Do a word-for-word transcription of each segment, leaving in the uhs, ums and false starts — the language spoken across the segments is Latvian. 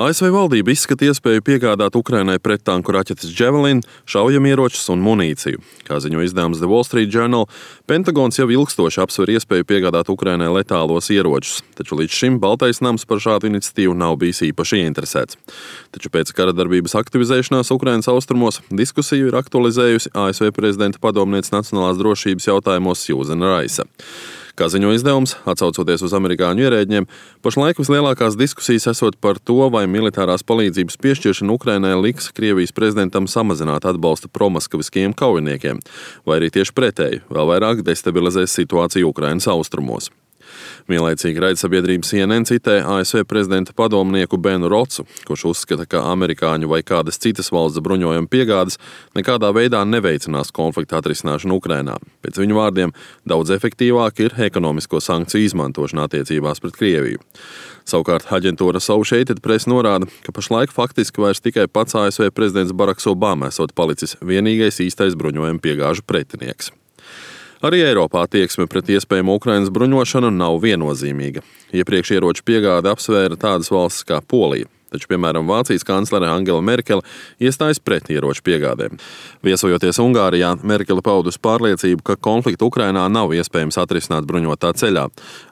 A S V valdība izskata iespēju piegādāt Ukrainai prettanku raķetes Javelin, šaujamieročus un munīciju. Kā ziņo izdevums The Wall Street Journal, Pentagons jau ilgstoši apsver iespēju piegādāt Ukrainai letālos ieročus, taču līdz šim Baltais nams par šādu iniciatīvu nav bijis īpaši ieinteresēts. Taču pēc kara darbības aktivizēšanās Ukrainas austrumos diskusiju ir aktualizējusi A S V prezidenta padomniece nacionālās drošības jautājumos Suzana Raisa. Kā ziņo izdevums, atsaucoties uz amerikāņu ierēģiem, pašlaik vislielākās diskusijas esot par to, vai militārās palīdzības piešķiršana Ukrainai liks Krievijas prezidentam samazināt atbalstu promaskaviskajiem kaujiniekiem, vai arī tieši pretēji, vēl vairāk destabilizēs situāciju Ukrainas austrumos. Vienlaicīgi raidsabiedrība C N N citē A S V prezidenta padomnieku Benu Rocu, kurš uzskata, ka amerikāņu vai kādas citas valsts bruņojuma piegādes nekādā veidā neveicinās konflikta atrisināšanu Ukrainā. Pēc viņu vārdiem, daudz efektīvāk ir ekonomisko sankciju izmantošana attiecībās pret Krieviju. Savukārt aģentūra Associated Press norāda, ka pašlaik faktiski vairs tikai pats A S V prezidents Baraks Obama esot palicis vienīgais īstais bruņojuma piegāžu pretinieks. Arī Eiropā attieksme pret iespējamu Ukrainas bruņošanu nav viennozīmīga. Iepriekš ieroču piegādi apsvēra tādas valstis kā Polija, taču, piemēram, Vācijas kanclere Angela Merkele iestājas pret ieroču piegādēm. Viesojoties Ungārijā, Merkele paudus pārliecību, ka konfliktu Ukrainā nav iespējams atrisināt bruņotā ceļā,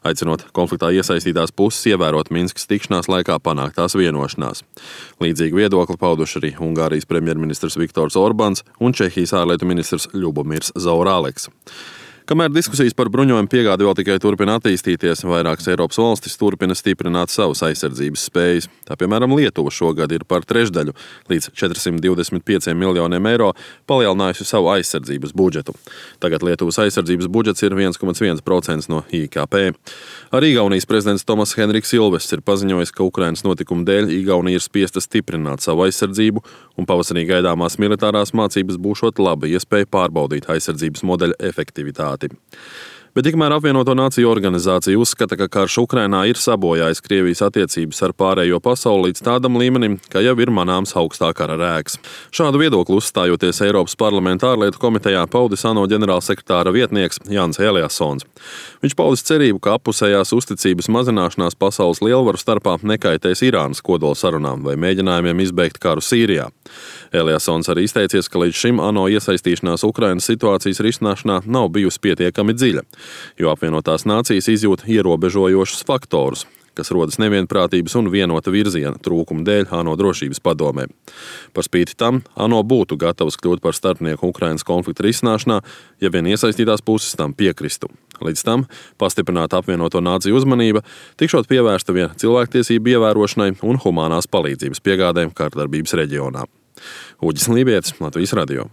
aicinot konfliktā iesaistītās puses ievērot Minskas tikšanās laikā panāktās vienošanās. Līdzīgu viedokli pauduši arī Ungārijas premjerministrs Viktors Orbāns un Čehijas ārlietu ministrs Ļubomirs Zaorāleks. Kamēr diskusijas par bruņojumu piegādi vēl tikai turpina attīstīties, vairākas Eiropas valstis turpina stiprināt savas aizsardzības spējas. Tā, piemēram, Lietuva šogad ir par trešdaļu līdz četrsimt divdesmit pieciem miljoniem eiro palielinājusi savu aizsardzības budžetu. Tagad Lietuvas aizsardzības budžets ir viens komats viens procents no I K P. Arī Igaunijas prezidents Tomas Henriks Ilvests ir paziņojis, ka Ukrainas notikumu dēļ Igaunija ir spiesta stiprināt savu aizsardzību, un pavasarī gaidāmās militārās mācības būšot laba iespēja pārbaudīt aizsardzības modeļa efektivitāti. Bet tikmēr apvienoto nāciju organizācija uzskata, ka karš Ukrainā ir sabojājis Krievijas attiecības ar pārējo pasauli līdz tādam līmenim, ka jau ir manāms augstā kara rēks. Šādu viedokli uzstājoties Eiropas parlamenta ārlietu komitejā paudis ANO ģenerālsekretāra vietnieks Jans Eliassons. Viņš paudis cerību, ka appusējās uzticības mazināšanās pasaules lielvaru starpā nekaitēs Irānas kodola sarunām vai mēģinājumiem izbeigt karu Sīrijā. Eliassons arī izteicies, ka līdz šim ANO iesaistīšanās Ukrainas situācijas risināšanā nav bijusi pietiekami dziļa, jo apvienotās nācijas izjūt ierobežojošus faktorus, kas rodas nevienprātības un vienota virziena trūkuma dēļ ANO drošības padomē. Par spīti tam ANO būtu gatavs kļūt par starpnieku Ukrainas konflikta risināšanā, ja vien iesaistītās puses tam piekristu. Līdz tam pastiprināta apvienoto nāciju uzmanība tikšot pievērsta vien cilvēktiesību ievērošanai un humānās palīdzības piegādēm kārdarbības reģionā. Uģis Lībietis, Latvijas radio.